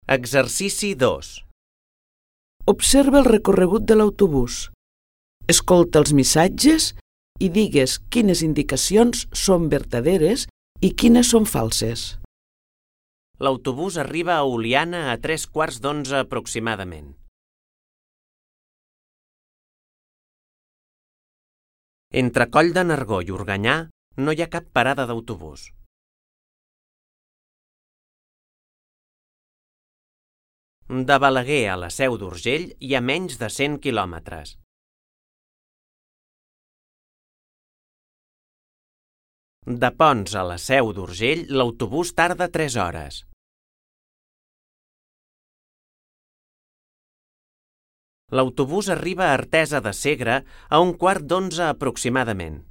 Exercici 2. Observa el recorregut de l'autobús. Escolta els missatges i digues quines indicacions són verdaderes i quines són falses. L'autobús arriba a Oliana a 3:15 aproximadament. Entre Coll de Nargó i Organyà no hi ha cap parada d'autobús. De Balaguer a la Seu d'Urgell hi ha menys de 100 quilòmetres. De Ponts a la Seu d'Urgell l'autobús tarda 3 hores. L'autobús arriba a Artesa de Segre a 11:15 aproximadament.